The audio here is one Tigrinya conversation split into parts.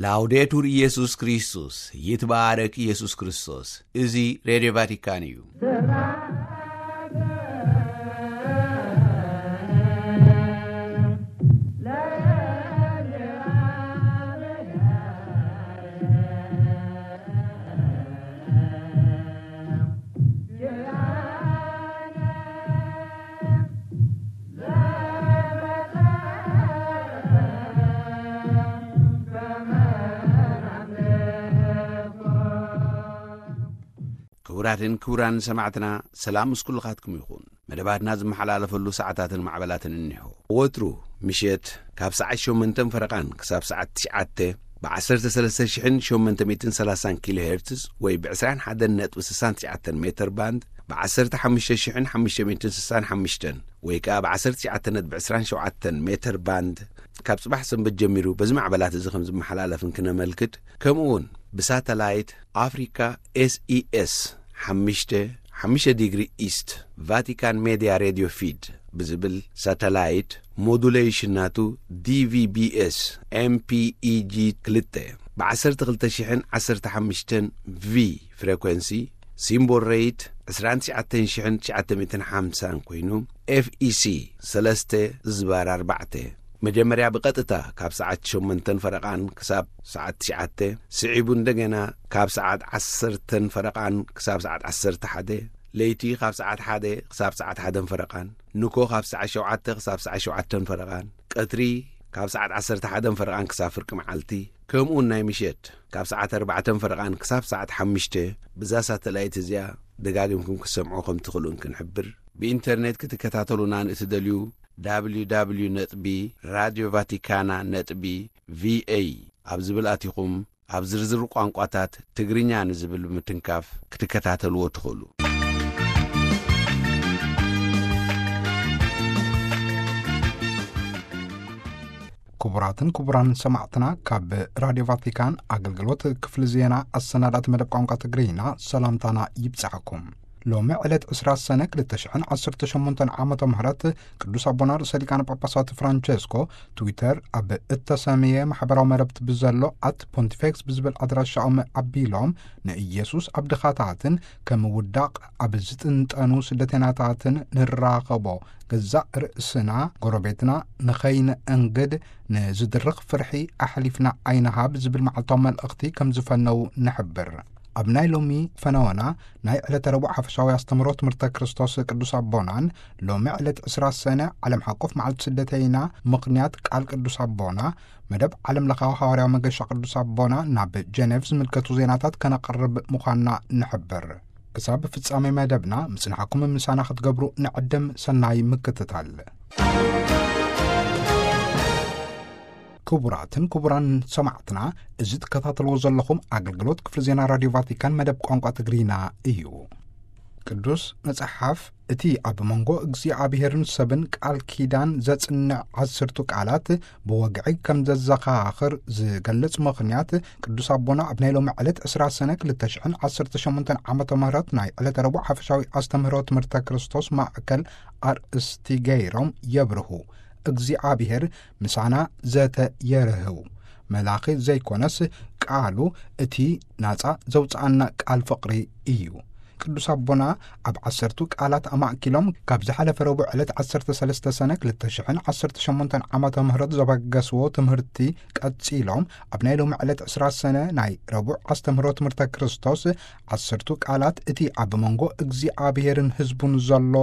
ላውዴቱር ኢየሱስ ክርስቶስ፣ ይትባረክ ኢየሱስ ክርስቶስ። እዚ ሬድዮ ቫቲካን እዩ። ክቡራትን ክቡራን ሰማዕትና፣ ሰላም ምስ ኩልኻትኩም ይኹን። መደባትና ዝመሓላለፈሉ ሰዓታትን ማዕበላትን እኒሆ። ወትሩ ምሸት ካብ ሰዓት ሸሞንተን ፈረቓን ክሳብ ሰዓት ትሽዓተ ብ ዓሰርተ ሰለስተ ሽሕን ሸሞንተ ሚእትን ሰላሳን ኪሎ ሄርትዝ ወይ ብ ዕስራን ሓደን ነጥቢ ስሳን ትሽዓተን ሜተር ባንድ፣ ብ ዓሰርተ ሓሙሽተ ሽሕን ሓሙሽተ ሚእትን ስሳን ሓሙሽተን ወይ ከኣ ብ ዓሰርተ ትሽዓተ ነጥቢ ዕስራን ሸውዓተን ሜተር ባንድ፣ ካብ ጽባሕ ሰንበት ጀሚሩ በዚ ማዕበላት እዚ ከም ዝመሓላለፍ እንክነመልክት፣ ከምኡ እውን ብሳተላይት ኣፍሪካ ኤስኢኤስ ሓሙሽተ፣ ሓሙሽተ ዲግሪ ኢስት፣ ቫቲካን ሜድያ ሬድዮ ፊድ ብዝብል ሳተላይት፣ ሞዱሌሽን ናቱ ዲቪቢኤስ ኤምፒኢጂ ክልተ፣ ብ ዓሰርተ ክልተ ሽሕን ዓሰርተ ሓሙሽተን ቪ ፍሬኮንሲ፣ ሲምቦል ሬት ዕስራን ትሽዓተን ሽሕን ትሽዓተ ሚእትን ሓምሳን ኮይኑ፣ ኤፍኢሲ ሰለስተ ዝባር ኣርባዕተ፣ መጀመርያ ብቐጥታ ካብ ሰዓት ሸሞንተን ፈረቓን ክሳብ ሰዓት ትሽዓተ፣ ስዒቡ እንደገና ካብ ሰዓት ዓሰርተን ፈረቓን ክሳብ ሰዓት ዓሰርተ ሓደ፣ ለይቲ ካብ ሰዓት ሓደ ክሳብ ሰዓት ሓደን ፈረቓን፣ ንኮ ካብ ሰዓት ሸውዓተ ክሳብ ሰዓት ሸውዓተን ፈረቓን፣ ቀትሪ ካብ ሰዓት ዓሰርተ ሓደን ፈረቓን ክሳብ ፍርቂ መዓልቲ፣ ከምኡውን ናይ ምሸት ካብ ሰዓት ኣርባዕተን ፈረቓን ክሳብ ሰዓት ሓሙሽተ፣ ብዛ ሳተላይት እዚኣ ደጋጊምኩም ክትሰምዑ ከም ትኽእሉ እንክንሕብር፣ ብኢንተርኔት ክትከታተሉና ንእትደልዩ፣ ደብሊው ደብሊው ደብሊው ነጥቢ ራድዮ ቫቲካና ነጥቢ ቪኤ ኣብ ዝብል ኣቲኹም፣ ኣብ ዝርዝር ቋንቋታት ትግርኛ ንዝብል ብምትንካፍ ክትከታተልዎ ትኽእሉ። ክቡራትን ክቡራን ሰማዕትና፣ ካብ ራድዮ ቫቲካን ኣገልግሎት ክፍሊ ዜና ኣሰናዳት መደብ ቋንቋ ትግርኛ ሰላምታና ይብጻሕኩም። ሎሚ ዕለት ዕስራ ሰነ ክልተ ሽሕን ዓሰርተ ሸሞንተን ዓመተ ምህረት ቅዱስ ኣቦና ርእሰ ሊቃነ ጳጳሳት ፍራንቸስኮ ትዊተር ኣብ እተሰምየ ማሕበራዊ መረብቲ ብዘሎ ኣት ፖንቲፌክስ ብዝብል ኣድራሻኦም ኣቢሎም ንኢየሱስ ኣብ ድኻታትን ከም ውዳቕ ኣብ ዝጥንጠኑ ስደተኛታትን ንራኸቦ ገዛእ ርእስና ጎረቤትና ንኸይንእንግድ ንዝድርኽ ፍርሒ ኣሕሊፍና ኣይንሃብ ዝብል መዓልታዊ መልእኽቲ ከም ዝፈነዉ ንሕብር። ኣብ ናይ ሎሚ ፈነወና ናይ ዕለተ ረቡዕ ሓፈሻዊ ኣስተምህሮ ትምህርተ ክርስቶስ ቅዱስ ኣቦናን ሎሚ ዕለት ዕስራ ሰነ ዓለም ሓቆፍ መዓልቲ ስደተይና ምኽንያት ቃል ቅዱስ ኣቦና መደብ ዓለም ለኻዊ ሃዋርያዊ መገሻ ቅዱስ ኣቦና ናብ ጀኔቭ ዝምልከቱ ዜናታት ከነቕርብ ምዃንና ንሕብር። ክሳብ ፍጻሜ መደብና ምጽንሓኩም ምሳና ክትገብሩ ንዕድም። ሰናይ ምክትታል። ክቡራትን ክቡራን ሰማዕትና፣ እዚ ትከታተልዎ ዘለኹም ኣገልግሎት ክፍሊ ዜና ራድዮ ቫቲካን መደብ ቋንቋ ትግርኛ እዩ። ቅዱስ መጽሓፍ እቲ ኣብ መንጎ እግዚኣብሔርን ሰብን ቃል ኪዳን ዘጽንዕ ዓሰርቱ ቃላት ብወግዒ ከም ዘዘኻኽር ዝገልጽ ምኽንያት ቅዱስ ኣቦና ኣብ ናይ ሎሚ ዕለት ዕስራ ሰነ ክልተ ሽሕን ዓሰርተ ሸሞንተን ዓመተ ምህረት ናይ ዕለተ ረቡዕ ሓፈሻዊ ኣስተምህሮ ትምህርተ ክርስቶስ ማእከል ኣርእስቲ ገይሮም የብርሁ። እግዚኣብሔር ምሳና ዘተ የርህው። መላኺ ዘይኮነስ ቃሉ እቲ ናጻ ዘውጽኣና ቃል ፍቕሪ እዩ። ቅዱስ ኣቦና ኣብ ዓሰርቱ ቃላት ኣማእኪሎም ካብ ዝሓለፈ ረቡዕ ዕለት ዓሰርተ ሰለስተ ሰነ ክልተ ሽሕን ዓሰርተ ሸሞንተን ዓመተ ምህረት ዘበገስዎ ትምህርቲ ቀጺሎም ኣብ ናይ ሎሚ ዕለት ዕስራ ሰነ ናይ ረቡዕ ኣስተምህሮ ትምህርተ ክርስቶስ ዓሰርቱ ቃላት እቲ ኣብ መንጎ እግዚኣብሔርን ህዝቡን ዘሎ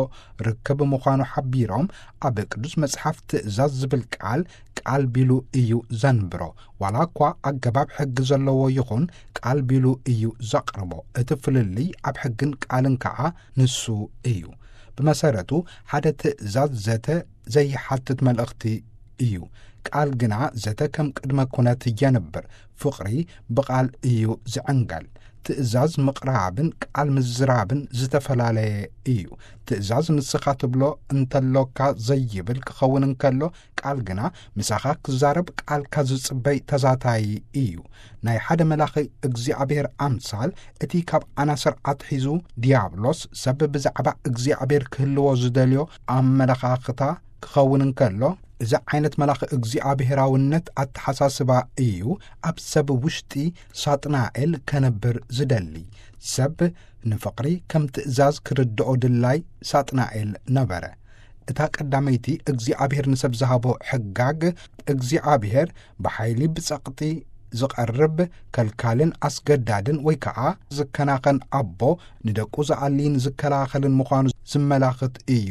ርክብ ምዃኑ ሓቢሮም፣ ኣብ ቅዱስ መጽሓፍ ትእዛዝ ዝብል ቃል ቃል ቢሉ እዩ ዘንብሮ። ዋላ እኳ ኣገባብ ሕጊ ዘለዎ ይኹን፣ ቃል ቢሉ እዩ ዘቕርቦ። እቲ ፍልልይ ኣብ ሕግን ቃልን ከኣ ንሱ እዩ። ብመሰረቱ ሓደ ትእዛዝ ዘተ ዘይሓትት መልእኽቲ እዩ። ቃል ግና ዘተ ከም ቅድመ ኩነት የንብር። ፍቕሪ ብቓል እዩ ዝዕንገል። ትእዛዝ ምቕራብን ቃል ምዝራብን ዝተፈላለየ እዩ። ትእዛዝ ንስኻ ትብሎ እንተሎካ ዘይብል ክኸውን እንከሎ፣ ቃል ግና ምሳኻ ክዛረብ ቃልካ ዝጽበይ ተዛታይ እዩ። ናይ ሓደ መላኺ እግዚኣብሔር ኣምሳል እቲ ካብ ኣናስር ኣትሒዙ ዲያብሎስ ሰብ ብዛዕባ እግዚኣብሔር ክህልዎ ዝደልዮ ኣመለኻኽታ ክኸውን እንከሎ፣ እዚ ዓይነት መልኣኽ እግዚኣብሔራውነት ኣተሓሳስባ እዩ ኣብ ሰብ ውሽጢ ሳጥናኤል ከነብር ዝደሊ። ሰብ ንፍቕሪ ከም ትእዛዝ ክርድኦ ድላይ ሳጥናኤል ነበረ። እታ ቀዳመይቲ እግዚኣብሔር ንሰብ ዝሃቦ ሕጋግ፣ እግዚኣብሔር ብሓይሊ ብጸቕጢ ዝቐርብ ከልካልን ኣስገዳድን ወይ ከኣ ዝከናኸን ኣቦ ንደቁ ዝኣሊን ዝከላኸልን ምዃኑ ዝመላኽት እዩ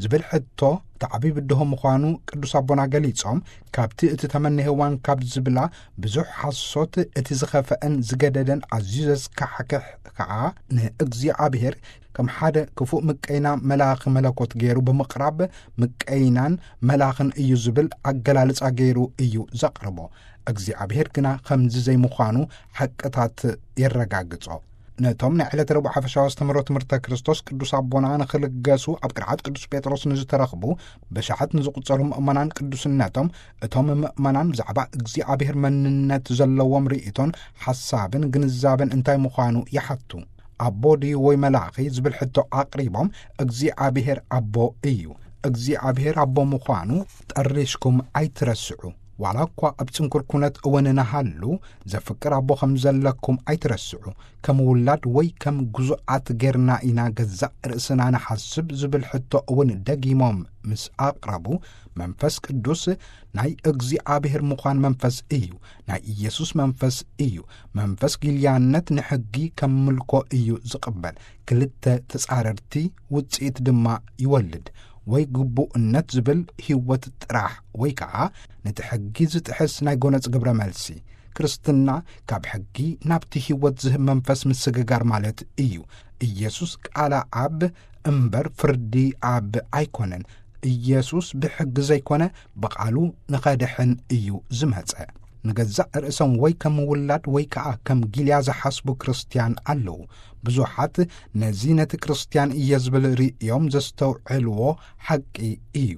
ዝብል ሕቶ ተዓቢ ብድሆ ምዃኑ ቅዱስ ኣቦና ገሊጾም፣ ካብቲ እቲ ተመነ ሄዋን ካብ ዝብላ ብዙሕ ሓሶት እቲ ዝኸፍአን ዝገደደን ኣዝዩ ዘስካሕክሕ ከኣ ንእግዚኣብሔር ከም ሓደ ክፉእ ምቀይና መልኣኽ መለኮት ገይሩ ብምቕራብ ምቀይናን መልኣኽን እዩ ዝብል ኣገላልጻ ገይሩ እዩ ዘቕርቦ። እግዚኣብሔር ግና ከምዚ ዘይምዃኑ ሓቅታት የረጋግጾ። ነቶም ናይ ዕለተ ረቡዕ ሓፈሻዊ ኣስተምህሮ ትምህርተ ክርስቶስ ቅዱስ ኣቦና ንኽልገሱ ኣብ ቅርዓት ቅዱስ ጴጥሮስ ንዝተረኽቡ ብሽሓት ንዝቑጸሩ ምእመናን ቅዱስነቶም፣ እቶም ምእመናን ብዛዕባ እግዚኣብሔር መንነት ዘለዎም ርእይቶን ሓሳብን ግንዛበን እንታይ ምዃኑ ይሓቱ። ኣቦ ድዩ ወይ መላኺ ዝብል ሕቶ ኣቕሪቦም፣ እግዚኣብሔር ኣቦ እዩ። እግዚኣብሔር ኣቦ ምዃኑ ጠሪሽኩም ኣይትረስዑ። ዋላ እኳ ኣብ ጽንኩር ኩነት እውን ንሃሉ፣ ዘፍቅር ኣቦ ከም ዘለኩም ኣይትረስዑ። ከም ውላድ ወይ ከም ግዙኣት ጌርና ኢና ገዛእ ርእስና ንሓስብ ዝብል ሕቶ እውን ደጊሞም ምስ ኣቕረቡ፣ መንፈስ ቅዱስ ናይ እግዚኣብሔር ምዃን መንፈስ እዩ። ናይ ኢየሱስ መንፈስ እዩ። መንፈስ ጊልያነት ንሕጊ ከም ምልኮ እዩ ዝቕበል። ክልተ ተጻረርቲ ውጽኢት ድማ ይወልድ። ወይ ግቡእነት ዝብል ህይወት ጥራሕ፣ ወይ ከኣ ነቲ ሕጊ ዝጥሕስ ናይ ጎነጽ ግብረ መልሲ። ክርስትና ካብ ሕጊ ናብቲ ህይወት ዝህብ መንፈስ ምስግጋር ማለት እዩ። ኢየሱስ ቃለ ኣብ እምበር ፍርዲ ኣብ ኣይኮነን። ኢየሱስ ብሕጊ ዘይኮነ ብቓሉ ንኸድሕን እዩ ዝመጸ። ንገዛእ ርእሶም ወይ ከም ውላድ ወይ ከኣ ከም ጊልያ ዝሓስቡ ክርስትያን ኣለዉ። ብዙሓት ነዚ ነቲ ክርስትያን እየ ዝብል ርእዮም ዘስተውዕልዎ ሓቂ እዩ።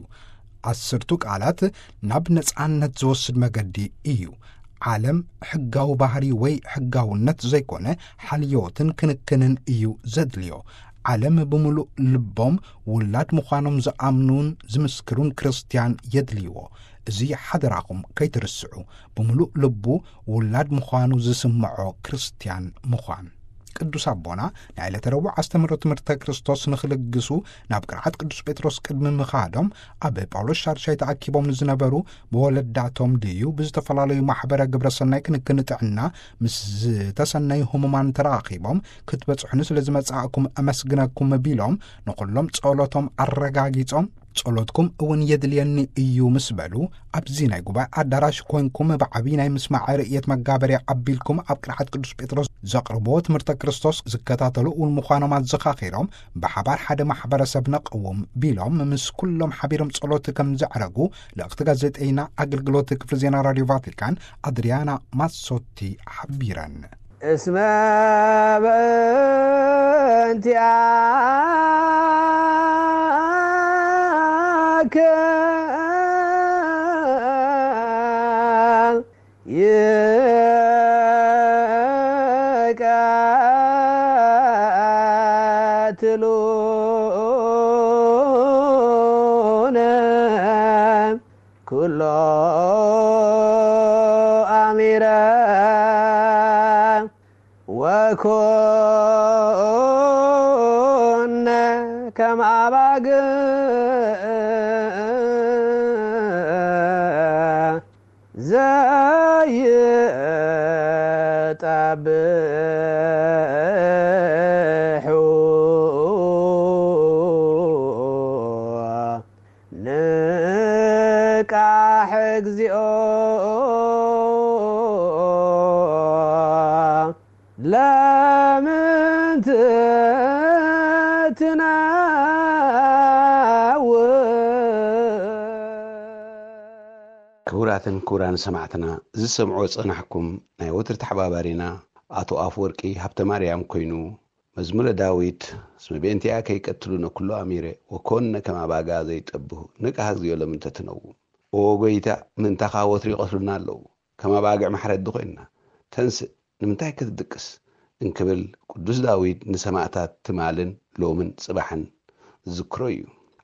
ዓሰርቱ ቃላት ናብ ነጻነት ዝወስድ መገዲ እዩ። ዓለም ሕጋዊ ባህሪ ወይ ሕጋውነት ዘይኮነ ሓልዮትን ክንክንን እዩ ዘድልዮ። ዓለም ብምሉእ ልቦም ውላድ ምዃኖም ዝኣምኑን ዝምስክሩን ክርስትያን የድልይዎ። እዚ ሓደራኹም ከይትርስዑ፣ ብምሉእ ልቡ ውላድ ምዃኑ ዝስምዖ ክርስትያን ምዃን። ቅዱስ ኣቦና ናይ ዕለተ ረቡዕ ኣስተምህሮ ትምህርተ ክርስቶስ ንኽልግሱ ናብ ቅርዓት ቅዱስ ጴጥሮስ ቅድሚ ምኻዶም፣ ኣብ ጳውሎስ ሻድሻይ ተኣኪቦም ንዝነበሩ ብወለዳቶም ድዩ ብዝተፈላለዩ ማሕበረ ግብረ ሰናይ ክንክን ጥዕና ምስ ዝተሰነዩ ህሙማን ተራኺቦም ክትበጽሑኒ ስለ ዝመጻእኩም ኣመስግነኩም ቢሎም ንኹሎም ጸሎቶም ኣረጋጊጾም፣ ጸሎትኩም እውን የድልየኒ እዩ ምስ በሉ፣ ኣብዚ ናይ ጉባኤ ኣዳራሽ ኮንኩም ብዓቢ ናይ ምስማዕ ርእየት መጋበርያ ኣቢልኩም ኣብ ቅርዓት ቅዱስ ጴጥሮስ ዘቕርብዎ ትምህርተ ክርስቶስ ዝከታተሉ እውን ምዃኖም ኣዘኻኺሮም፣ ብሓባር ሓደ ማሕበረሰብ ነቕውም ቢሎም ምስ ኩሎም ሓቢሮም ጸሎት ከም ዘዕረጉ ልእኽቲ ጋዜጠይና ኣገልግሎት ክፍሊ ዜና ራድዮ ቫቲካን ኣድሪያና ማሶቲ ሓቢረን። እስመ በእንቲአከ ይቀትሉነ ኩሎ አሚረ ወኮነ ከመ አባግዕ ዘይጠብሑ ንቃሕ እግዚኦ ለምን ትትነውር። ክቡራትን ክቡራን ሰማዕትና፣ ዝሰምዖ ጸናሕኩም ናይ ወትሪ ተሓባባሪና ኣቶ ኣፍወርቂ ሃብተ ማርያም ኮይኑ፣ መዝሙረ ዳዊት፣ እስመ በእንቲአከ ይቀትሉነ ኩሎ አሚረ፣ ወኮነ ከመ አባጋ ዘይጠብሑ፣ ንቃሕ እግዚኦ ለምን ተትነውር። ኦ ጎይታ፣ ምእንታኻ ወትሩ ይቐትሉና ኣለዉ፣ ከም ኣባግዕ ማሕረዲ ኮይንና፣ ተንስእ፣ ንምንታይ ክትድቅስ? እንክብል ቅዱስ ዳዊት ንሰማእታት ትማልን ሎምን ጽባሕን ዝዝክሮ እዩ።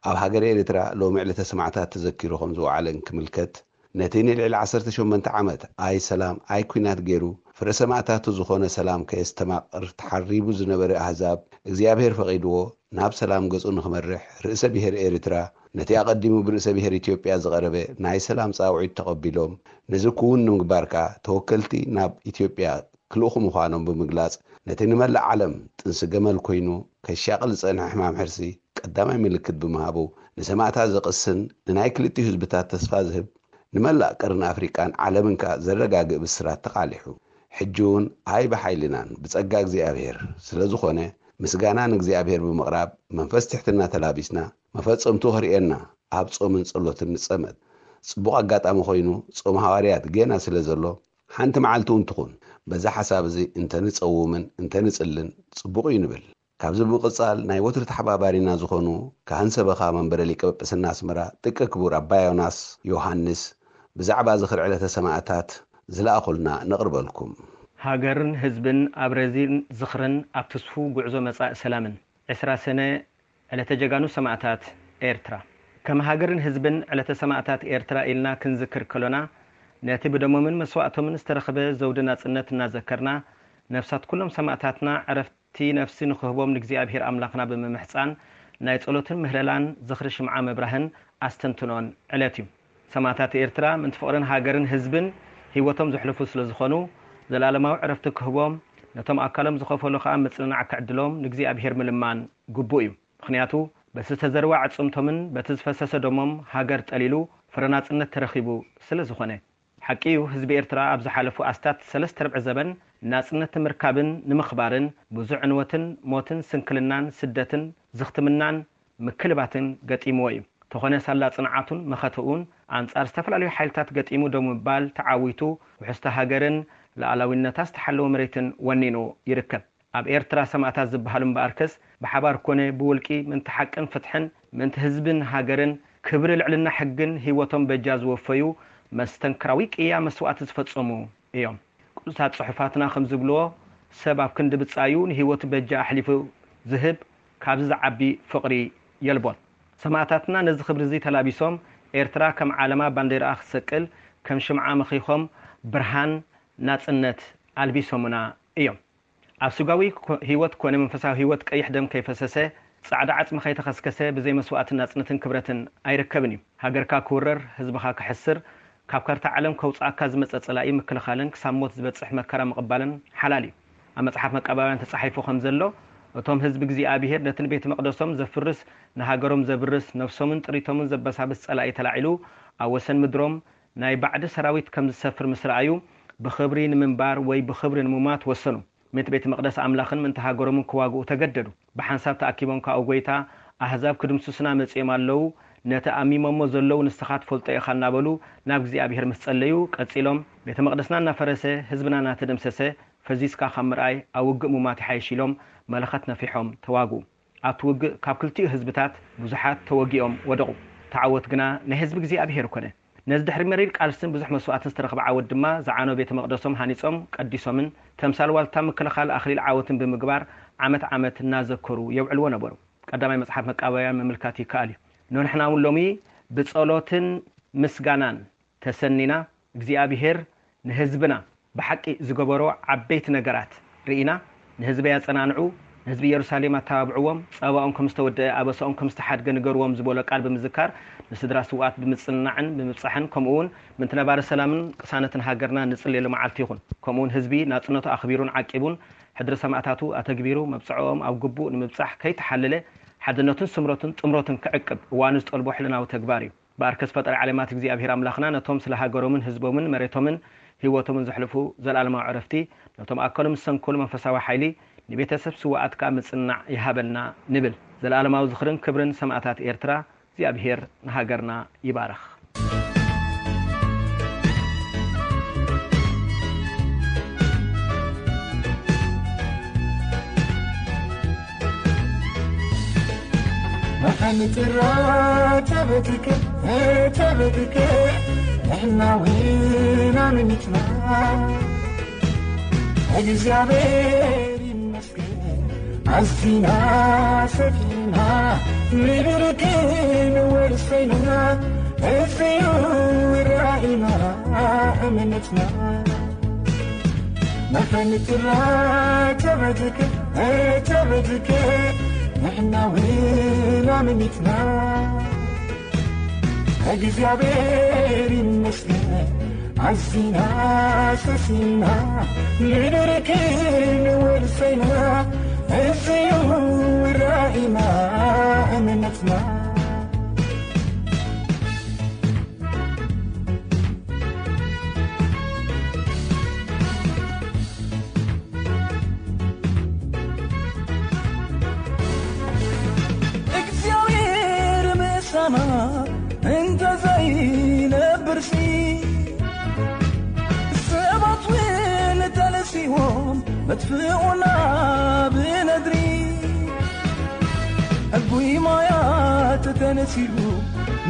ኣብ ሃገረ ኤርትራ ሎሚ ዕለተ ሰማዕታት ተዘኪሩ ከም ዝወዓለ እንክምልከት፣ ነቲ ንልዕሊ ዓሰርተ ሸሞንተ ዓመት ኣይ ሰላም ኣይ ኲናት ገይሩ ፍረ ሰማእታቱ ዝኾነ ሰላም ከየስተማቕር ተሓሪቡ ዝነበረ ኣህዛብ እግዚኣብሔር ፈቒድዎ ናብ ሰላም ገጹ ንኽመርሕ ርእሰ ብሔር ኤርትራ ነቲ ኣቐዲሙ ብርእሰ ብሔር ኢትዮጵያ ዝቐረበ ናይ ሰላም ጻውዒት ተቐቢሎም ነዚ ክውን ንምግባር ከኣ ተወከልቲ ናብ ኢትዮጵያ ክልእኹ ምዃኖም ብምግላጽ ነቲ ንመላእ ዓለም ጥንሲ ገመል ኮይኑ ከሻቕል ዝጸንሐ ሕማም ሕርሲ ቀዳማይ ምልክት ብምሃቡ ንሰማእታት ዘቕስን ንናይ ክልቲኡ ህዝብታት ተስፋ ዝህብ ንመላእ ቀርኒ ኣፍሪቃን ዓለምን ከኣ ዘረጋግእ ብስራት ተቓሊሑ። ሕጂ እውን ኣይ ብሓይልናን ብጸጋ እግዚኣብሔር ስለ ዝኾነ ምስጋና ንእግዚኣብሔር ብምቕራብ መንፈስ ትሕትና ተላቢስና መፈጸምቱ ክርእየና ኣብ ጾምን ጸሎትን ንጸመድ። ጽቡቕ ኣጋጣሚ ኮይኑ ጾም ሃዋርያት ጌና ስለ ዘሎ ሓንቲ መዓልቲ እውን ትኹን በዛ ሓሳብ እዚ እንተንጸውምን እንተንጽልን ጽቡቕ እዩ ንብል። ካብዚ ብምቕጻል ናይ ወትሩ ተሓባባሪና ዝኾኑ ካህን ሰበኻ መንበረ ሊቀ ጳጳስና ኣስመራ ጥቀ ክቡር ኣባ ዮናስ ዮሃንስ ብዛዕባ ዝኽሪ ዕለተ ሰማእታት ዝለኣኹልና ነቕርበልኩም። ሃገርን ህዝብን ኣብ ረዚን ዝኽርን ኣብ ትስፉው ጉዕዞ መጻኢ ሰላምን። ዕስራ ሰነ ዕለተ ጀጋኑ ሰማእታት ኤርትራ። ከም ሃገርን ህዝብን ዕለተ ሰማእታት ኤርትራ ኢልና ክንዝክር ከሎና ነቲ ብደሞምን መስዋእቶምን ዝተረኽበ ዘውዲ ናጽነት እናዘከርና ነፍሳት ኩሎም ሰማእታትና ዕረፍቲ ነፍሲ ንኽህቦም ንእግዚኣብሔር ኣምላኽና ብምምሕጻን ናይ ጸሎትን ምህለላን ዝኽሪ ሽምዓ ምብራህን ኣስተንትኖን ዕለት እዩ። ሰማእታት ኤርትራ ምእንቲ ፍቕርን ሃገርን ህዝብን ህይወቶም ዘሕልፉ ስለ ዝኾኑ ዘላለማዊ ዕረፍቲ ክህቦም ነቶም ኣካሎም ዝኸፈሉ ከኣ ምጽንናዕ ክዕድሎም ንእግዚኣብሔር ምልማን ግቡእ እዩ። ምኽንያቱ በቲ ዝተዘርወ ኣዕጽምቶምን በቲ ዝፈሰሰ ደሞም ሃገር ጠሊሉ ፍረ ናጽነት ተረኺቡ ስለ ዝኾነ። ሓቂ እዩ ህዝቢ ኤርትራ ኣብ ዝሓለፉ ኣስታት ሰለስተ ርብዒ ዘበን ናጽነት ንምርካብን ንምኽባርን ብዙሕ ዕንወትን ሞትን ስንክልናን ስደትን ዝኽትምናን ምክልባትን ገጢምዎ እዩ። ተኾነ ሳላ ጽንዓቱን መኸተኡን ኣንጻር ዝተፈላለዩ ሓይልታት ገጢሙ ደው ምባል ተዓዊቱ ውሕስቲ ሃገርን ሉዓላዊነታ ዝተሓለወ መሬትን ወኒኑ ይርከብ። ኣብ ኤርትራ ሰማእታት ዝበሃሉ እምበኣርከስ ብሓባር ኮነ ብውልቂ ምእንቲ ሓቅን ፍትሕን ምእንቲ ህዝብን ሃገርን ክብሪ ልዕልና ሕግን ህይወቶም በጃ ዝወፈዩ መስተንክራዊ ቅያ መስዋእቲ ዝፈጸሙ እዮም። ቅዱሳት ጽሑፋትና ከም ዝብልዎ ሰብ ኣብ ክንዲ ብጻዩ ንህይወቱ በጃ ኣሕሊፉ ዝህብ ካብዚ ዝዓቢ ፍቕሪ የልቦን። ሰማእታትና ነዚ ክብሪ እዚ ተላቢሶም ኤርትራ ከም ዓለማ ባንዴራኣ ክትሰቅል ከም ሽምዓ መኺኾም ብርሃን ናጽነት ኣልቢሶምና እዮም። ኣብ ስጋዊ ህይወት ኮነ መንፈሳዊ ህይወት ቀይሕ ደም ከይፈሰሰ፣ ጻዕዳ ዓጽሚ ከይተኸስከሰ ብዘይ መስዋእትን ናጽነትን ክብረትን ኣይርከብን እዩ። ሃገርካ ክውረር፣ ህዝብኻ ክሕስር፣ ካብ ካርታ ዓለም ከውጽኣካ ዝመጸ ጸላኢ ምክልኻልን ክሳብ ሞት ዝበጽሕ መከራ ምቕባልን ሓላል እዩ። ኣብ መጽሓፍ መቃባውያን ተጻሒፉ ከም ዘሎ፣ እቶም ህዝቢ እግዚኣብሄር ነቲ ንቤተ መቕደሶም ዘፍርስ፣ ንሃገሮም ዘብርስ፣ ነፍሶምን ጥሪቶምን ዘበሳብስ ጸላኢ ተላዒሉ ኣብ ወሰን ምድሮም ናይ ባዕዲ ሰራዊት ከም ዝሰፍር ምስ ረኣዩ፣ ብኽብሪ ንምንባር ወይ ብኽብሪ ንሙማት ወሰኑ። ምእንቲ ቤተ መቕደስ ኣምላኽን ምእንቲ ሃገሮምን ክዋግኡ ተገደዱ። ብሓንሳብ ተኣኪቦም ከኣ፣ ጐይታ፣ ኣህዛብ ክድምስሱና መጺኦም ኣለዉ፣ ነቲ ኣሚሞሞ ዘለዉ ንስኻ ትፈልጦ ኢኻ እናበሉ ናብ እግዚኣብሄር ምስ ጸለዩ፣ ቀጺሎም፣ ቤተ መቕደስና እናፈረሰ፣ ህዝብና እናተደምሰሰ፣ ፈዚዝካ ካብ ምርኣይ ኣብ ውግእ ሙማት ይሓይሽ ኢሎም መለኸት ነፊሖም ተዋግኡ። ኣብቲ ውግእ ካብ ክልቲኡ ህዝብታት ብዙሓት ተወጊኦም ወደቑ። እቲ ዓወት ግና ናይ ህዝቢ እግዚኣብሄር ኮነ። ነዚ ድሕሪ መሪር ቃልስን ብዙሕ መስዋእትን ዝተረኽበ ዓወት ድማ ዝዓነወ ቤተ መቕደሶም ሃኒጾም ቀዲሶምን ተምሳል ዋልታ ምክልኻል ኣኽሊል ዓወትን ብምግባር ዓመት ዓመት እናዘከሩ የውዕልዎ ነበሩ። ቀዳማይ መጽሓፍ መቃባውያን ምምልካት ይከኣል እዩ። ንሕና እውን ሎሚ ብጸሎትን ምስጋናን ተሰኒና እግዚኣብሄር ንህዝብና ብሓቂ ዝገበሮ ዓበይቲ ነገራት ርኢና፣ ንህዝበይ ኣጸናንዑ፣ ንህዝቢ ኢየሩሳሌም ኣተባብዕዎም፣ ጸባኦም ከም ዝተወደአ ኣበሳኦም ከም ዝተሓድገ ንገርዎም ዝበሎ ቃል ብምዝካር፣ ንስድራ ስውኣት ብምጽንናዕን ብምብጻሕን፣ ከምኡ እውን ምእንቲ ነባሪ ሰላምን ቅሳነትን ሃገርና ንጽልየሉ መዓልቲ ይኹን። ከምኡ እውን ህዝቢ ናጽነቱ ኣኽቢሩን ዓቂቡን፣ ሕድሪ ሰማእታቱ ኣተግቢሩ፣ መብጽዓኦም ኣብ ግቡእ ንምብጻሕ ከይተሓለለ፣ ሓድነቱን ስምረቱን ጥምረቱን ክዕቅብ እዋኑ ዝጠልቦ ሕልናዊ ተግባር እዩ። በኣርከስ ፈጣሪ ዓለማት እግዚኣብሔር ኣምላኽና ነቶም ስለ ሃገሮምን ህዝቦምን መሬቶምን ህይወቶምን ዘሕልፉ ዘለኣለማዊ ዕረፍቲ፣ ነቶም ኣካሎም ዝሰንከሉ መንፈሳዊ ሓይሊ፣ ንቤተሰብ ስውኣት ከኣ ምጽንናዕ ይሃበልና ንብል። ዘለኣለማዊ ዝኽርን ክብርን ሰማእታት ኤርትራ። እግዚኣብሔር ንሃገርና ይባርኽ። መሓኒ ጭራ ተበቲከ ተበቲከ ንሕና ዊና ንሚትና እግዚኣብሔር ይመስገን። ኣዚና ሰፊና ምድርክን ወርሰይና፣ እዚዩ ራእይና እምነትና። መፈንጥራ ተበትከ፣ ተበትከ፣ ንሕና እውን ኣመኒትና። እግዚኣብሔር ይመስገን፣ ኣዚና ሰሲና፣ ምድርክን ወርሰይና፣ እዚዩ ራእይና እምነትና። እግዚኣብሔር ምሳና እንተ ዘይነብርሲ፣ ሰባት እውን ተነሲዎም መጥፍኡና ብነድሪ። ሕጉይ ማያት ተነሲኡ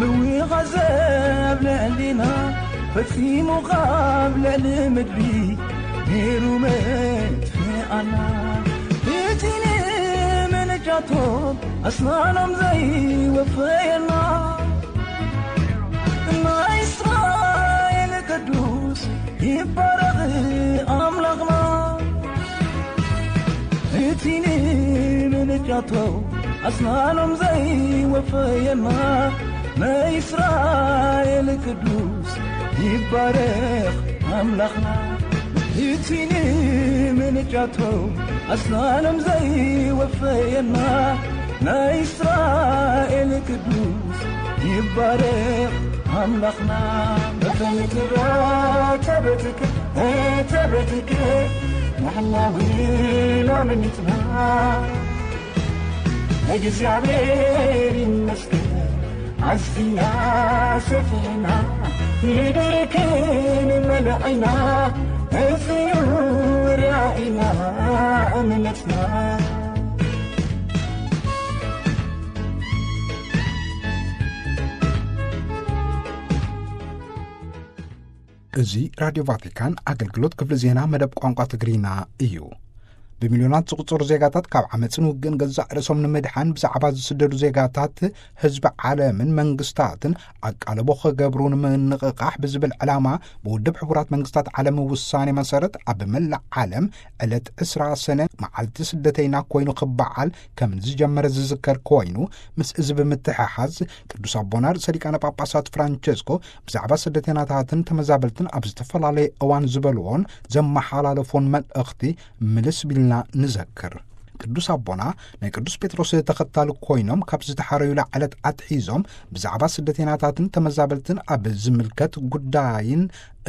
ምውኻዘ ኣብ ልዕሊና፣ ፈጺሙ ኻብ ልዕሊ ምድሪ ነይሩ መጥፍኣና። እቲ ንምንጃቶም ኣስናኖም ዘይወፈየና፣ ናይ እስራኤል ቅዱስ ይባረኽ ኣምላኽና። እቲ ንምንጃቶም ኣስናኖም ዘይወፈየና፣ ናይ እስራኤል ቅዱስ ይባረኽ ኣምላኽና። እቲ ንምንጃቶም ኣስናኖም ዘይወፈየና፣ ናይ እስራኤል ቅዱስ ይባረኽ ኣምላኽና። በተንክራ ተበትከ፣ ተበትከ፣ ንሕና እውን ኣመኒትና። እግዚኣብሔር ይመስገን፣ ኣዚና ሰፊሕና፣ ምድርክን መለዕና፣ እዚዩ ራእይና እምነትና። እዚ ራድዮ ቫቲካን ኣገልግሎት ክፍሊ ዜና መደብ ቋንቋ ትግርኛ እዩ። ብሚልዮናት ዝቑጸሩ ዜጋታት ካብ ዓመጽን ውግእን ገዛእ ርእሶም ንምድሓን ብዛዕባ ዝስደዱ ዜጋታት ህዝቢ ዓለምን መንግስታትን ኣቃልቦ ክገብሩ ንምንቕቓሕ ብዝብል ዕላማ ብውድብ ሕቡራት መንግስታት ዓለም ውሳኔ መሰረት ኣብ መላእ ዓለም ዕለት ዕስራ ሰነ መዓልቲ ስደተይና ኮይኑ ክበዓል ከም ዝጀመረ ዝዝከር ኮይኑ፣ ምስ እዚ ብምትሕሓዝ ቅዱስ ኣቦና ርእሰ ሊቃነ ጳጳሳት ፍራንቸስኮ ብዛዕባ ስደተይናታትን ተመዛበልትን ኣብ ዝተፈላለየ እዋን ዝበልዎን ዘመሓላለፎን መልእኽቲ ምልስ ቢልና ንዘክር። ቅዱስ ኣቦና ናይ ቅዱስ ጴጥሮስ ተኸታሊ ኮይኖም ካብ ዝተሓረዩላ ዕለት ኣትሒዞም ብዛዕባ ስደተይናታትን ተመዛበልትን ኣብ ዝምልከት ጉዳይን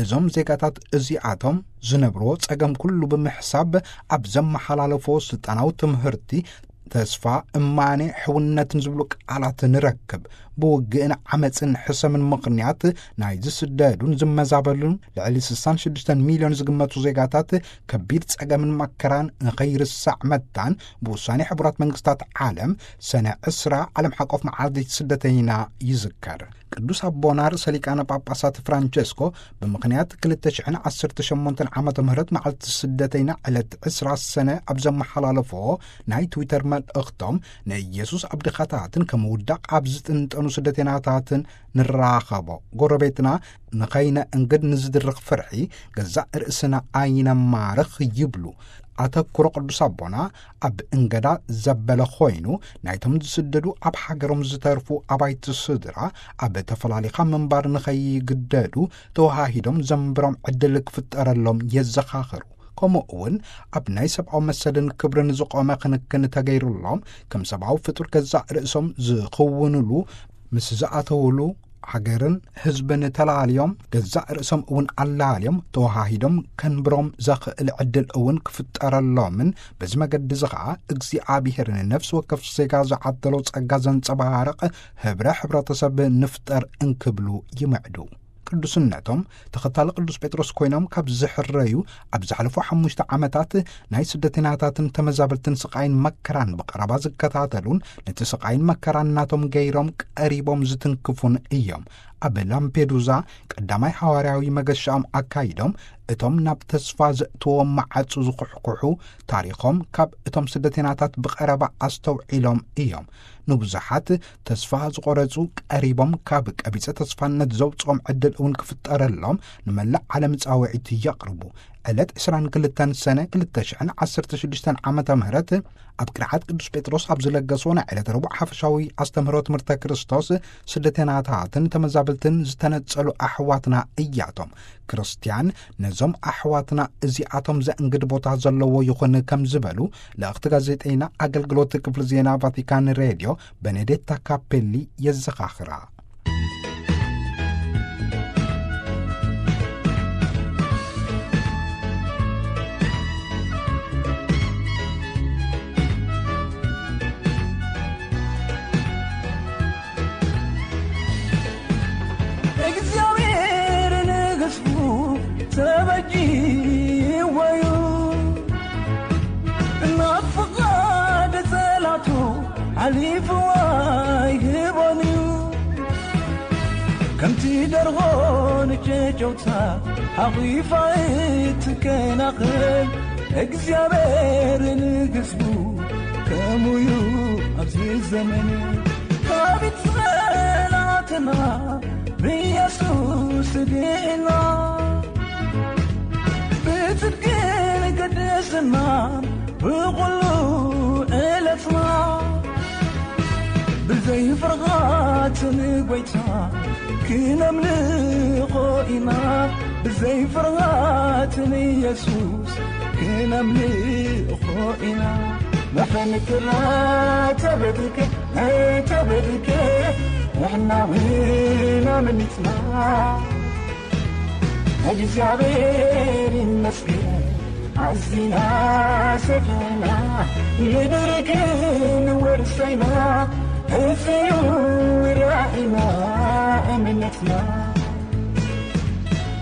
እዞም ዜጋታት እዚኣቶም ዝነብርዎ ጸገም ኩሉ ብምሕሳብ ኣብ ዘመሓላለፎ ስልጣናዊ ትምህርቲ ተስፋ፣ እማኔ፣ ሕውነትን ዝብሉ ቃላት ንረክብ። ብውግእን ዓመፅን ሕሰምን ምኽንያት ናይ ዝስደዱን ዝመዛበሉን ልዕሊ ስሳን ሽዱሽተን ሚልዮን ዝግመቱ ዜጋታት ከቢድ ጸገምን መከራን ንኸይርሳዕ መታን ብውሳኔ ሕቡራት መንግስታት ዓለም ሰነ ዕስራ ዓለም ሓቆፍ መዓልቲ ስደተይና ይዝከር። ቅዱስ ኣቦና ርእሰ ሊቃነ ጳጳሳት ፍራንቸስኮ ብምኽንያት ክልተ ሽሕን ዓሰርተ ሸሞንተን ዓመተ ምህረት መዓልቲ ስደተይና ዕለት ዕስራ ሰነ ኣብ ዘመሓላለፎ ናይ ትዊተር መልእኽቶም፣ ንኢየሱስ ኣብ ድኻታትን ከም ውዳቕ ኣብ ዝጥንጠኑ ስደተይናታትን ንራኸቦ፣ ጎረቤትና ንኸይነ እንግድ ንዝድርኽ ፍርሒ ገዛእ ርእስና ኣይነማርኽ ይብሉ። ኣተኩሮ ቅዱስ ኣቦና ኣብ እንገዳ ዘበለ ኮይኑ፣ ናይቶም ዝስደዱ ኣብ ሃገሮም ዝተርፉ ኣባይቲ ስድራ ኣብ ተፈላሊኻ ምንባር ንኸይግደዱ ተወሃሂዶም ዘንብሮም ዕድል ክፍጠረሎም የዘኻኽሩ። ከምኡ እውን ኣብ ናይ ሰብኣዊ መሰልን ክብርን ዝቖመ ክንክን ተገይሩሎም፣ ከም ሰብኣዊ ፍጡር ገዛእ ርእሶም ዝኽውንሉ፣ ምስ ዝኣተውሉ ሃገርን ህዝብን ተላልዮም፣ ገዛእ ርእሶም እውን ኣላልዮም ተወሃሂዶም ከንብሮም ዘኽእል ዕድል እውን ክፍጠረሎምን፣ በዚ መገዲ እዚ ኸኣ እግዚኣብሔር ንነፍሲ ወከፍ ዜጋ ዝዓደሎ ጸጋ ዘንጸባርቕ ህብረ ሕብረተሰብ ንፍጠር እንክብሉ ይምዕዱ። ቅዱስነቶም ተኸታሊ ቅዱስ ጴጥሮስ ኮይኖም ካብ ዝሕረዩ፣ ኣብ ዝሓለፉ ሓሙሽተ ዓመታት ናይ ስደተኛታትን ተመዛበልትን ስቓይን መከራን ብቐረባ ዝከታተሉን ነቲ ስቓይን መከራን ናቶም ገይሮም ቀሪቦም ዝትንክፉን እዮም። ኣብ ላምፔዱዛ ቀዳማይ ሃዋርያዊ መገሻኦም ኣካይዶም፣ እቶም ናብ ተስፋ ዘእትዎም መዓጹ ዝኹሕኩሑ ታሪኾም ካብ እቶም ስደተናታት ብቐረባ ኣስተውዒሎም እዮም። ንብዙሓት ተስፋ ዝቖረጹ ቀሪቦም ካብ ቀቢጸ ተስፋነት ዘውጽኦም ዕድል እውን ክፍጠረሎም ንመላእ ዓለም ጻውዒት የቕርቡ። ዕለት ዕስራን ክልተን ሰነ ክልተ ሽሕን ዓሰርተ ሽዱሽተን ዓመተ ምህረት ኣብ ቅርዓት ቅዱስ ጴጥሮስ ኣብ ዝለገስዎ ናይ ዕለት ረቡዕ ሓፈሻዊ ኣስተምህሮ ትምህርተ ክርስቶስ፣ ስደተናታትን ተመዛበልትን ዝተነጸሉ ኣሕዋትና እያቶም። ክርስትያን ነዞም ኣሕዋትና እዚኣቶም ዘእንግድ ቦታ ዘለዎ ይኹን ከም ዝበሉ ልእኽቲ ጋዜጠይና ኣገልግሎት ክፍሊ ዜና ቫቲካን ሬድዮ በኔዴታ ካፔሊ የዘኻኽራ። እግዚኣብሔር ንህዝቡ ተበጅዎ እዩ፣ ናብ ፍቓድ ጸላቱ ሓሊፉ ኣይህቦን እዩ። ከምቲ ደርሆ ንጨጨውታ ሓቒፋ እትከናኸን እግዚኣብሔር ንህዝቡ ከምኡ እዩ ኣብዚ ዘመን። ካብ ጸላእትና ብኢየሱስ ድና፣ ብጽድቅን ቅድስናን ብኹሉ ዕለትና፣ ብዘይ ፍርሃት ንጎይታ ክነምልኾ ኢና፣ ብዘይ ፍርሃት ንየሱስ ክነምልኾ ኢና። መፈንክራ ተበድከ፣ ተበድከ፣ ንሕና እውን ኣመኒትና። እግዚኣብሔር ይመስገን፣ ኣዚና ሰፊሕና፣ ምድሪ ግን ወርሰይና፣ እዚ እዩ ራእይና፣ እምነትና።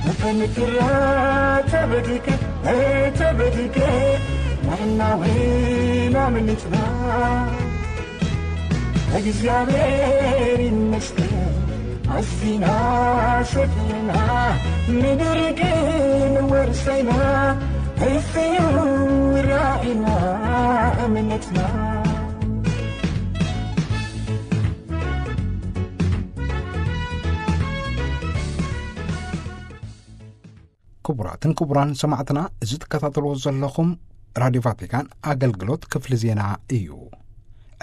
መፈንክራ ተበድከ፣ ተበድከ፣ ንሕና እውን ኣምልጥና። እግዚኣብሔር ይመስገን፣ ኣዚና ሰፊሕና፣ ምድሪ ግን ወርሰይና፣ እዚ እዩ ራእይና፣ እምነትና። ክቡራትን ክቡራን ሰማዕትና፣ እዚ ትከታተልዎ ዘለኹም ራድዮ ቫቲካን ኣገልግሎት ክፍሊ ዜና እዩ።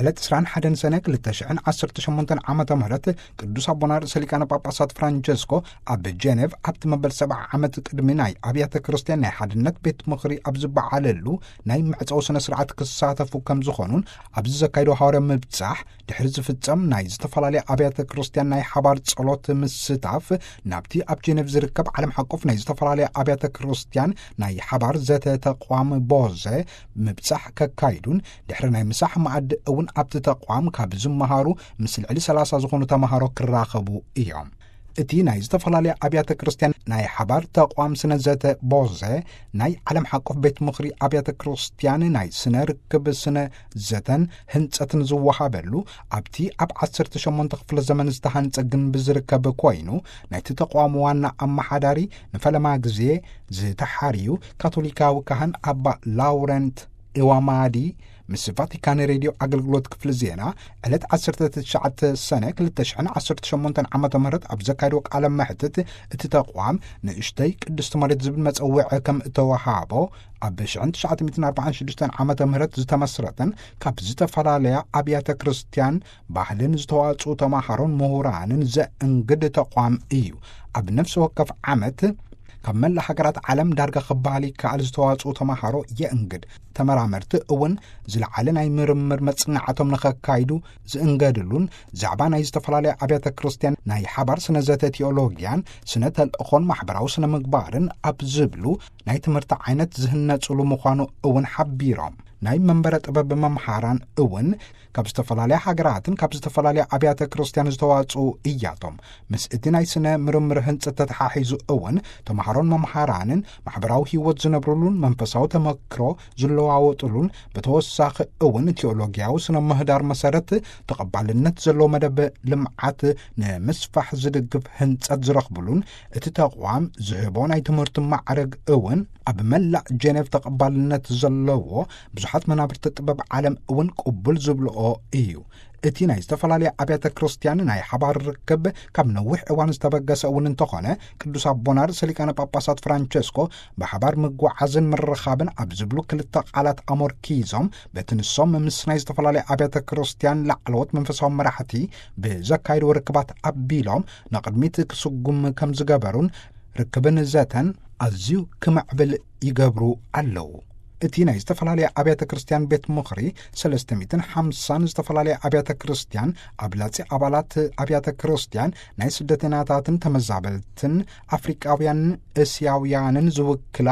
ዕለት ዕስራን ሓደን ሰነ ክልተ ሽሕን ዓሰርተ ሸሞንተን ዓመተ ምህረት ቅዱስ ኣቦና ርእሰ ሊቃነ ጳጳሳት ፍራንቸስኮ ኣብ ጀኔቭ ኣብቲ መበል ሰብዓ ዓመት ቅድሚ ናይ ኣብያተ ክርስቲያን ናይ ሓድነት ቤት ምኽሪ ኣብ ዝበዓለሉ ናይ መዕጸዊ ስነ ስርዓት ክሳተፉ ከም ዝኾኑን ኣብዚ ዘካይዶ ሃዋርያዊ ምብጻሕ ድሕሪ ዝፍጸም ናይ ዝተፈላለያ ኣብያተ ክርስቲያን ናይ ሓባር ጸሎት ምስታፍ ናብቲ ኣብ ጀኔቭ ዝርከብ ዓለም ሓቆፍ ናይ ዝተፈላለያ ኣብያተ ክርስቲያን ናይ ሓባር ዘተ ተቋም ቦዘ ምብጻሕ ከካይዱን ድሕሪ ናይ ምሳሕ መኣዲ እውን ኣብቲ ተቋም ካብ ዝመሃሩ ምስ ልዕሊ ሰላሳ ዝኾኑ ተምሃሮ ክራኸቡ እዮም። እቲ ናይ ዝተፈላለያ ኣብያተ ክርስቲያን ናይ ሓባር ተቋም ስነ ዘተ ቦዘ ናይ ዓለም ሓቆፍ ቤት ምኽሪ ኣብያተ ክርስቲያን ናይ ስነ ርክብ ስነ ዘተን ህንጸትን ዝወሃበሉ ኣብቲ ኣብ ዓሰርተ ሸሞንተ ክፍለ ዘመን ዝተሃንጸ ግንቢ ዝርከብ ኮይኑ፣ ናይቲ ተቋም ዋና ኣመሓዳሪ ንፈለማ ግዜ ዝተሓርዩ ካቶሊካዊ ካህን ኣባ ላውረንት ኢዋማዲ ምስ ቫቲካን ሬድዮ ኣገልግሎት ክፍሊ ዜና ዕለት ዓሰርተ ትሽዓተ ሰነ ክልተ ሽሕን ዓሰርተ ሸሞንተን ዓመተ ምህረት ኣብ ዘካየድዎ ቃለ መሕትት፣ እቲ ተቋም ንእሽተይ ቅድስቲ መሬት ዝብል መጸውዒ ከም እተወሃቦ፣ ኣብ ሽሕን ትሽዓተ ሚእትን ኣርባዓን ሽዱሽተን ዓመተ ምህረት ዝተመስረተን ካብ ዝተፈላለያ ኣብያተ ክርስቲያን ባህልን ዝተዋጽኡ ተማሃሮን ምሁራንን ዘእንግድ ተቋም እዩ። ኣብ ነፍሲ ወከፍ ዓመት ካብ መላእ ሃገራት ዓለም ዳርጋ ክበሃል ይከኣል ዝተዋጽኡ ተማሃሮ የእንግድ። ተመራመርቲ እውን ዝለዓለ ናይ ምርምር መጽናዕቶም ንኸካይዱ ዝእንገድሉን፣ ዛዕባ ናይ ዝተፈላለያ ኣብያተ ክርስቲያን ናይ ሓባር ስነ ዘተ ቴዎሎጊያን፣ ስነ ተልእኾን ማሕበራዊ ስነ ምግባርን ኣብ ዝብሉ ናይ ትምህርቲ ዓይነት ዝህነጽሉ ምዃኑ እውን ሓቢሮም። ናይ መንበረ ጥበብ መምሃራን እውን ካብ ዝተፈላለያ ሃገራትን ካብ ዝተፈላለያ ኣብያተ ክርስቲያን ዝተዋጽኡ እያቶም። ምስ እቲ ናይ ስነ ምርምር ህንጸት ተተሓሒዙ እውን ተምሃሮን መምሃራንን ማሕበራዊ ህይወት ዝነብሩሉን መንፈሳዊ ተመክሮ ዝለዋወጡሉን፣ ብተወሳኺ እውን ቴዎሎጊያዊ ስነ ምህዳር መሰረት ተቐባልነት ዘለዎ መደብ ልምዓት ንምስፋሕ ዝድግፍ ህንጸት ዝረኽብሉን፣ እቲ ተቋም ዝህቦ ናይ ትምህርቲ ማዕረግ እውን ኣብ መላእ ጀኔቭ ተቐባልነት ዘለዎ ብዙሓት መናብርቲ ጥበብ ዓለም እውን ቅቡል ዝብልኦ እዩ። እቲ ናይ ዝተፈላለያ ኣብያተ ክርስቲያን ናይ ሓባር ርክብ ካብ ነዊሕ እዋን ዝተበገሰ እውን እንተኾነ፣ ቅዱስ ኣቦና ርእሰ ሊቃነ ጳጳሳት ፍራንቸስኮ ብሓባር ምጉዓዝን ምርኻብን ኣብ ዝብሉ ክልተ ቃላት ኣሞርኪዞም፣ በቲ ንሶም ምስ ናይ ዝተፈላለያ ኣብያተ ክርስቲያን ላዕለዎት መንፈሳዊ መራሕቲ ብዘካየድዎ ርክባት ኣቢሎም ንቕድሚት ክስጉም ከም ዝገበሩን ርክብን ዘተን ኣዝዩ ክምዕብል ይገብሩ ኣለዉ። እቲ ናይ ዝተፈላለያ ኣብያተ ክርስቲያን ቤት ምኽሪ፣ ሰለስተ ሚእትን ሓምሳን ዝተፈላለያ ኣብያተ ክርስቲያን፣ ኣብላጺ ኣባላት ኣብያተ ክርስቲያን፣ ናይ ስደተኛታትን ተመዛበልትን፣ ኣፍሪቃውያንን እስያውያንን ዝውክላ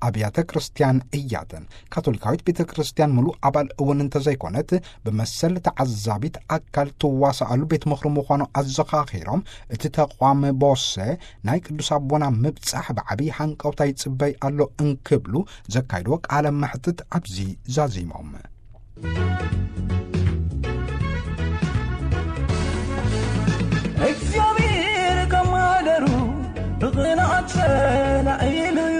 ኣብያተ ክርስቲያን እያተን። ካቶሊካዊት ቤተ ክርስቲያን ምሉእ ኣባል እውን እንተዘይኮነት፣ ብመሰል ተዓዛቢት ኣካል ትዋሳኣሉ ቤት ምኽሪ ምዃኑ ኣዘኻኺሮም፣ እቲ ተቋም ቦሰ ናይ ቅዱስ ኣቦና ምብጻሕ ብዓብዪ ሃንቀውታ ይጽበይ ኣሎ እንክብሉ ዘካይድዎ ቃለ መሕትት ኣብዚ ዛዚሞም። እግዚኣብሔር ካብ ማሕደሩ ብቕንዓት ተላዒሉ እዩ።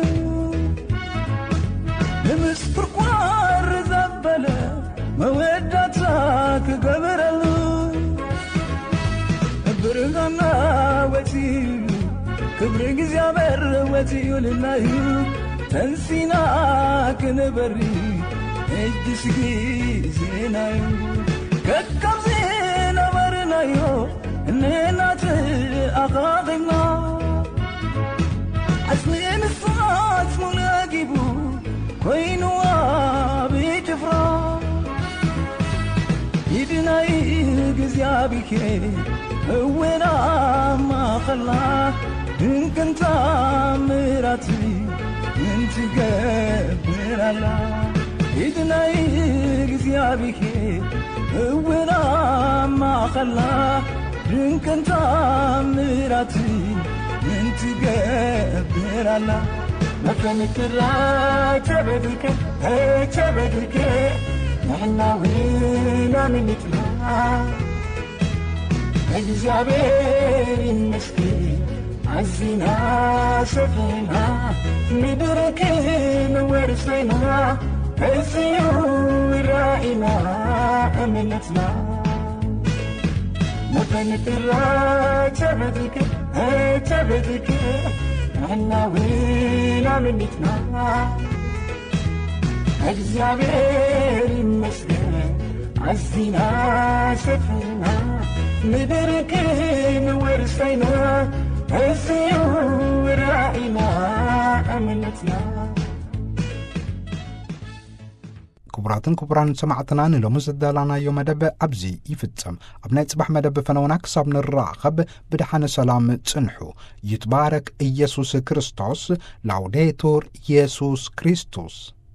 ንምስኩርኳር ዘበለ መወዳእታ ክገብረሉ። ብርሃና ወፂኡ፣ ክብሪ እግዚኣብሔር ወፂኡልና እዩ። ተንሲና ክንበሪ እጅስ ጊዜና እዩ። ከካብ ዝነበርናዮ እንናት ኣኻኺብና፣ ዓስሚ ንሳት ሙሉ ኣጊቡ ኮይኑ ኣብ ጭፍራ። ኢድናይ እግዚኣብሔር እውን ኣብ ማእኸልና ድንቅን ተኣምራት እንትገብር ኣላ። ኢድናይ እግዚኣብሔር እውን ኣብ ማእኸልና ድንቅን ተኣምራት እንትገብር ኣላ። መፈንክራ ተበድከ፣ ተበድከ፣ ንሕና እውን ኣምኒትና። እግዚኣብሔር ይመስገን፣ ኣዚና ሰፊና፣ ምድር ክንወርስ ኢና፣ እዚዩ ራኢና እምነትና። መፈንክራ ተበድከ፣ ተበድከ፣ ንሕና እውን ኣምኒትና። እግዚኣብሔር ይመስገን፣ ኣዚና ሰፊና፣ ምድር ክንወርስ ኢና፣ እዚዩ ራኢና እምነትና። ክቡራትን ክቡራን ሰማዕትና፣ ንሎሚ ዘዳላናዮ መደብ ኣብዚ ይፍጸም። ኣብ ናይ ጽባሕ መደብ ፈነውና ክሳብ ንራኸብ ብደሓነ ሰላም ጽንሑ። ይትባረክ ኢየሱስ ክርስቶስ። ላውዴቱር ኢየሱስ ክርስቶስ።